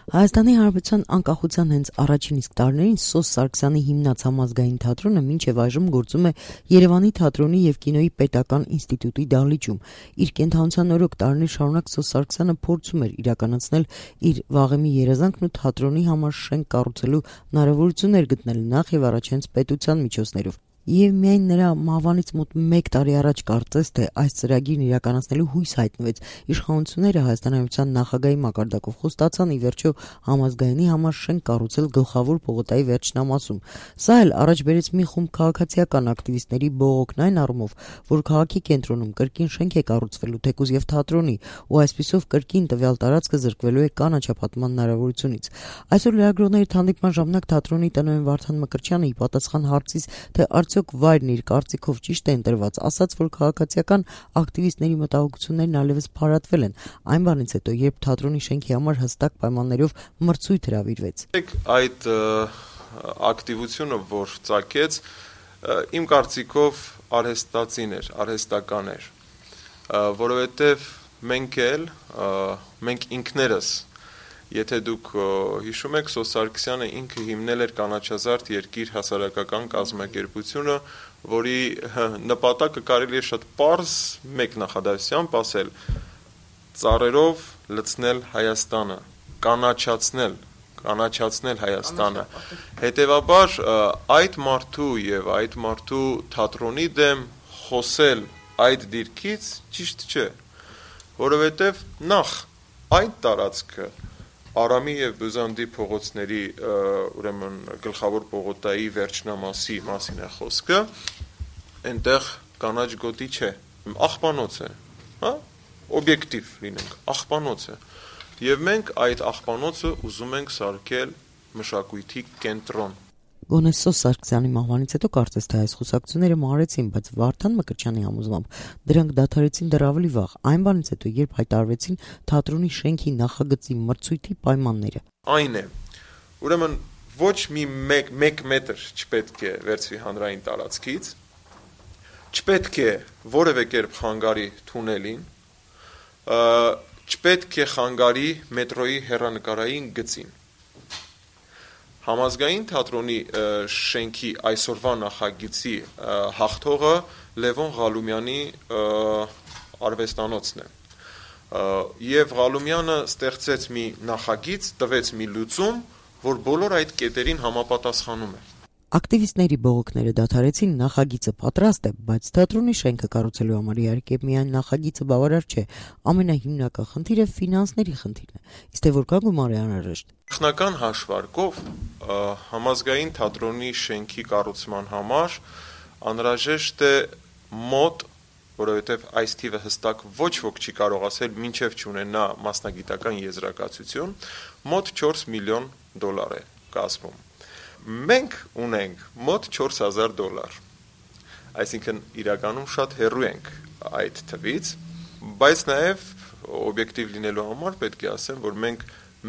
Հայաստանի Հանրապետության անկախության հենց առաջին իսկ տարիներին Սոս Սարգսյանի հիմնած համազգային թատրոնը մինչև այժմ գործում է Երևանի թատրոնի եւ կինոյի պետական ինստիտուտի դահլիճում։ Իր կենթանության օրոք տարիներ շարունակ Սոս Սարգսյանը փորձում էր իրականացնել իր վաղեմի երազանքն ու թատրոնի համար շենք կառուցելու հնարավորություններ գտնել նախ եւ առաջ հենց պետության միջոցներով։ Եվ միայն նրա մահվանից մոտ 1 տարի առաջ կարծես թե այս ծրագիրն իրականացնելու հույս հայտնվեց։ Իշխանությունները Հայաստանի Հանրապետության նախագահի մակարդակով խոստացան ի վերջո համազգայինի համար շենք կառուցել Գլխավոր պողոտայի վերջնամասում։ Սա էլ առաջ բերեց մի խումբ քաղաքացիական ակտիվիստների բողոքն այն առումով, որ քաղաքի կենտրոնում կրկին շենք է կառուցվելու թեկուզ եւ թատրոնի, ու այսպիսով կրկին տվյալ տարածքը զրկվելու է կանաչապատման հնարավորությունից։ Այսօր լրագրողների հանդիպման ժամանակ թատրոնի տնօրեն Վարդան Մկրտչյանը ի պատասխան հարցից, թե արդյոք վայրն իր կարծիքով ճիշտ է ընտրված, ասաց, որ քաղաքացիական ակտիվիստների մտահոգություններն այլևս փարատվել են այն բանից հետո, երբ թատրոնի շենքի համար հստակ պայմաններով մրցույթ հրավիրվեց։ Այդ ակտիվությունը, որ ծագեց, իմ կարծիքով արհեստական էր, որովհետև մենք ինքներս, եթե դուք հիշում եք, Սոս Սարգսյանը ինքը հիմնել էր Կանաչազարդ երկիր հասարակական կազմակերպությունը, որի նպատակը կարելի է շատ պարզ մեկ նախադասությամբ ասել՝ ծառերով լցնել Հայաստանը, կանաչացնել Հայաստանը։ Հետևաբար այդ մարդու եւ այդ մարդու թատրոնի դեմ խոսել այդ դիրքից ճիշտ չէ, որովհետեւ նախ այդ տարածքը Արամի եւ Բյուզանդի փողոցների ուրեմն Գլխավոր պողոտայի վերջնամասի մասին է խոսքը, այնտեղ կանաչ գոտի չէ, աղբանոց է, օբյեկտիվ լինենք, աղբանոց է։ Եվ մենք այդ աղբանոցը ուզում ենք սարքել մշակույթի կենտրոն։ Գոնե Սոս Սարգսյանի մահվանից հետո կարծես թե այս խոսակցությունները մարեցին, բայց Վարդան Մկրտչյանի համոզմամբ դրանք դադարեցին դեռ ավելի վաղ, այն բանից հետո, երբ հայտարարվեցին թատրոնի շենքի նախագծի մրցույթի պայմանները։ Այն է, ուրեմն ոչ մի 1 մետր չպետք է վերցվի հանրային տարածքից, չպետք է որևէ կերպ խանգարի թունելին, չպետք է խանգարի մետրոյի հեռանկարային գծին։ Համազգային թատրոնի շենքի այսօրվա նախագծի հաղթողը Լևոն Ղալումյանի արվեստանոցն է։ Եվ Ղալումյանը ստեղծեց մի նախագիծ, տվեց մի լուծում, որ բոլոր այդ կետերին համապատասխանում է։ Ակտիվիստների բողոքները դադարեցին, նախագիծը պատրաստ է, բայց թատրոնի շենքը կառուցելու համար իհարկե միայն նախագիծը բավարար չէ։ Ամենահիմնական խնդիրը ֆինանսների խնդիրն է։ Իսկ թե որքան գումար է անհրաժեշտ։ Նախնական հաշվարկով համազգային թատրոնի շենքի կառուցման համար անհրաժեշտ է մոտ, որովհետև այս թիվը հստակ ոչ ոք չի կարող ասել, մինչև չունենա մասնագիտական եզրակացություն, մոտ $4 միլիոն է կազմում։ Մենք ունենք մոտ $4,000, այսինքն իրականում շատ հեռու ենք այդ թվից, բայց նաև օբյեկտիվ լինելու համար պետք է ասեմ, որ մենք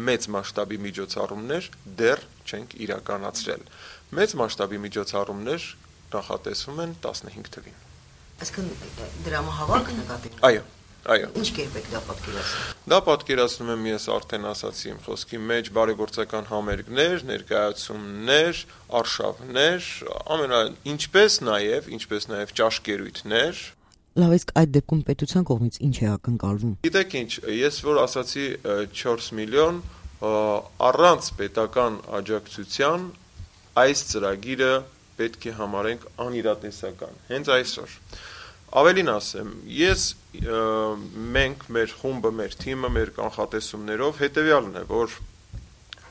մեծ մասշտաբի միջոցառումներ դեռ չենք իրականացրել։ Մեծ մասշտաբի միջոցառումներ նախատեսվում են 15 թվին։ Այսինքն դրամահավաք նկատի։ Այո։ Ինչ կերպ եք դա պատկերացնում։ Դա պատկերացնում եմ ես արդեն ասացի իմ խոսքի մեջ, բարեգործական համերգներ, ներկայացումներ, արշավներ, ինչպես նաև ճաշկերույթներ։ Լավ, իսկ այդ դեպքում պետության կողմից ինչ է ակնկալվում։ Գիտեք ինչ, ես որ ասացի 4 միլիոն, առանց պետական աջակցության այս ծրագիրը պետք է համարենք անիրատեսական, հենց այսօր։ Ավելին ասեմ, մենք, մեր խումբը, մեր թիմը, մեր կանխատեսումներով հետևյալն է, որ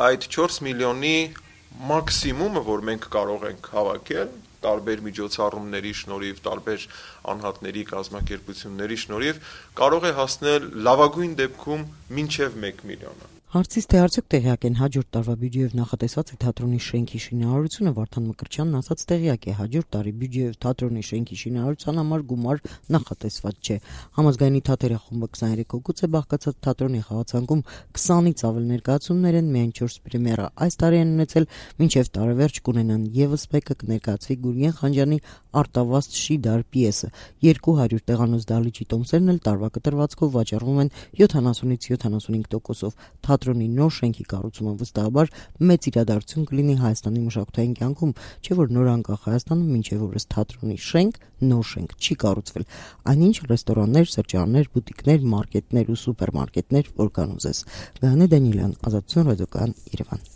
այդ 4 միլիոնի մաքսիմումը, որ մենք կարող ենք հավաքել, տարբեր միջոցառումների շնորհիվ, տարբեր անհատների կազմակերպությունների շնորհիվ, կարող է հասնել լավագույն դեպքում մինչև 1 միլիոնը։ Հարցից թե արդյոք տեղյակ են հաջորդ տարվա բյուջեով նախատեսված է թատրոնի շենքի շինարարությունը, Վարդան Մկրտչյանն ասաց տեղյակ է, հաջորդ տարի բյուջեով թատրոնի շենքի շինարարության համար գումար նախատեսված չէ։ Համազգայինի թատերը խումբը 23 հոգուց է բաղկացած, թատրոնի խաղացանկում 20-ից ավել ներկայացումներ են, միայն 4 պրեմիերա այս տարի են ունեցել, մինչև տարեվերջ կունենան եւս մեկը կներկայացվի Գուրգեն Խանջյանի արտավազդ Շիդար պիեսը։ 200 տեղանոց դահլիճի տոմսերն էլ տարվա կտրվածքով վաճառվում են 70-ից 75%-ով։ թատրոնի նոր շենքի կառուցումը վստահաբար մեծ իրադարձություն կլինի Հայաստանի մշակութային կյանքում, չէ՞ որ նոր անկախ Հայաստանում մինչև օրս թատրոնի շենք, նոր շենք չի կառուցվել, այնինչ ռեստորաններ, սրճարաններ, բուտիկներ, մարկետներ ու սուպերմարկետներ, որ կան ուզես։ Գայանե Դանիելյան, Ազատություն ռադիոկայան, Երևան։